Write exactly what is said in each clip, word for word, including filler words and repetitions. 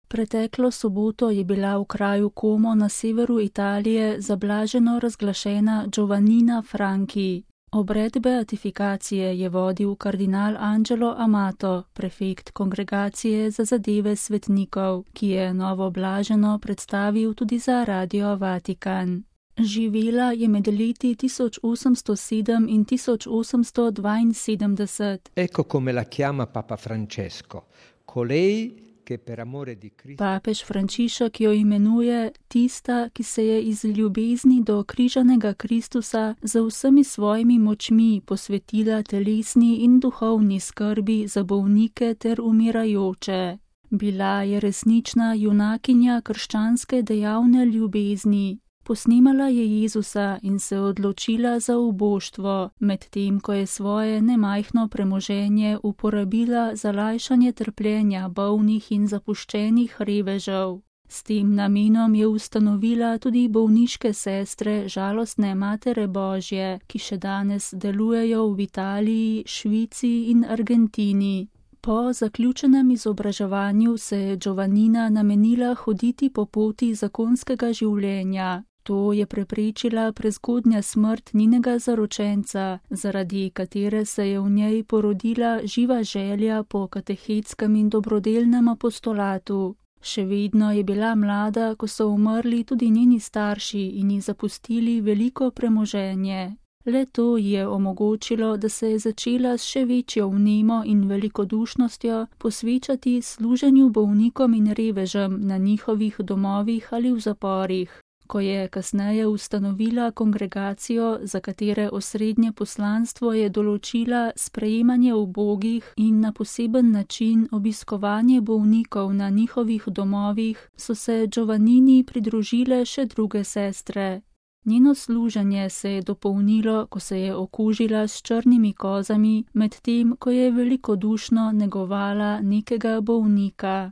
Preteklo soboto je bila v kraju Como na severu Italije zablaženo razglašena Giovannina Franchi. Obred beatifikacije je vodil kardinal Angelo Amato, prefekt Kongregacije za zadeve svetnikov, ki je novo blaženo predstavil tudi za Radio Vatikan. Živela je med leti tisoč osemsto sedem in tisoč osemsto dvainsedemdeset. Ecco come la chiama Papa Francesco, colei che per amore di Cristo. Papež Frančišek jo imenuje tista, ki se je iz ljubezni do križanega Kristusa z vsemi svojimi močmi posvetila telesni in duhovni skrbi za bolnike ter umirajoče. Bila je resnična junakinja krščanske dejavne ljubezni. Posnemala je Jezusa in se odločila za uboštvo, medtem ko je svoje nemajhno premoženje uporabila za lajšanje trpljenja bolnih in zapuščenih revežev. S tem namenom je ustanovila tudi bolniške sestre Žalostne Matere Božje, ki še danes delujejo v Italiji, Švici in Argentini. Po zaključenem izobraževanju se je Giovannina namenila hoditi po poti zakonskega življenja. To je preprečila prezgodnja smrt njenega zaročenca, zaradi katere se je v njej porodila živa želja po katehetskem in dobrodelnem apostolatu. Še vedno je bila mlada, ko so umrli tudi njeni starši in ji zapustili veliko premoženje. Le to je omogočilo, da se je začela s še večjo vnemo in velikodušnostjo posvečati služenju bolnikom in revežem na njihovih domovih ali v zaporih. Ko je kasneje ustanovila kongregacijo, za katere osrednje poslanstvo je določila sprejemanje ubogih in na poseben način obiskovanje bolnikov na njihovih domovih, so se Giovannini pridružile še druge sestre. Njeno služenje se je dopolnilo, ko se je okužila s črnimi kozami, medtem ko je velikodušno negovala nekega bolnika.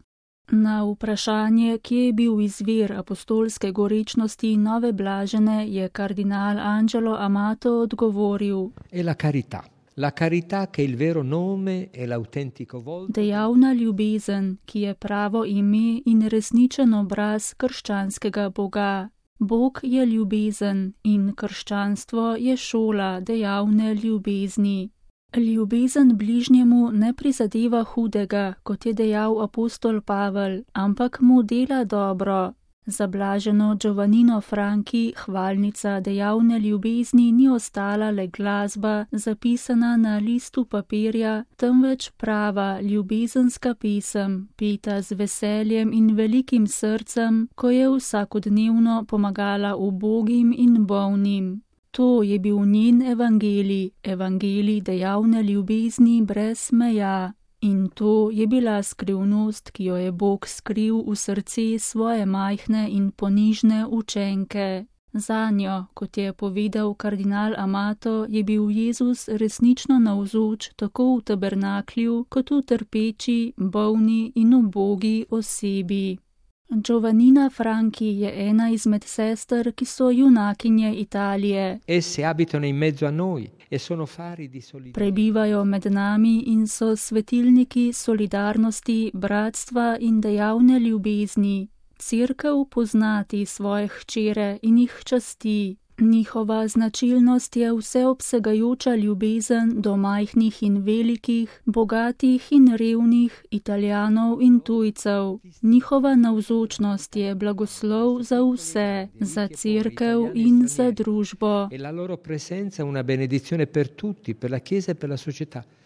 Na vprašanje, kje je bil izvir apostolske gorečnosti nove blažene, je kardinal Angelo Amato odgovoril: E la carità. La carità che il vero nome e l'autentico volto. Dejavna ljubezen, ki je pravo ime in resničen obraz krščanskega Boga. Bog je ljubezen in krščanstvo je šola dejavne ljubezni. Ljubezen bližnjemu ne prizadeva hudega, kot je dejal apostol Pavel, ampak mu dela dobro. Za blaženo Giovannino Franchi hvalnica dejavne ljubezni ni ostala le glasba, zapisana na listu papirja, temveč prava ljubezenska pesem, peta z veseljem in velikim srcem, ko je vsakodnevno pomagala ubogim in bolnim. To je bil njen evangelij, evangelij dejavne ljubezni brez meja. In to je bila skrivnost, ki jo je Bog skril v srce svoje majhne in ponižne učenke. Zanjo, kot je povedal kardinal Amato, je bil Jezus resnično navzoč tako v tabernaklju, kot v trpeči, bolni in ubogi osebi. Giovannina Franchi je ena izmed sester, ki so junakinje Italije. Esse abitano in mezzo a noi e sono fari di solidarietà. Prebivajo med nami in so svetilniki solidarnosti, bratstva in dejavne ljubezni. Cerkev poznati svoje hčere in jih časti. Njihova značilnost je vseobsegajoča ljubezen do majhnih in velikih, bogatih in revnih, Italijanov in tujcev. Njihova navzočnost je blagoslov za vse, za cerkev in za družbo. E la loro presenza è una benedizione per tutti, per la Chiesa e per la società.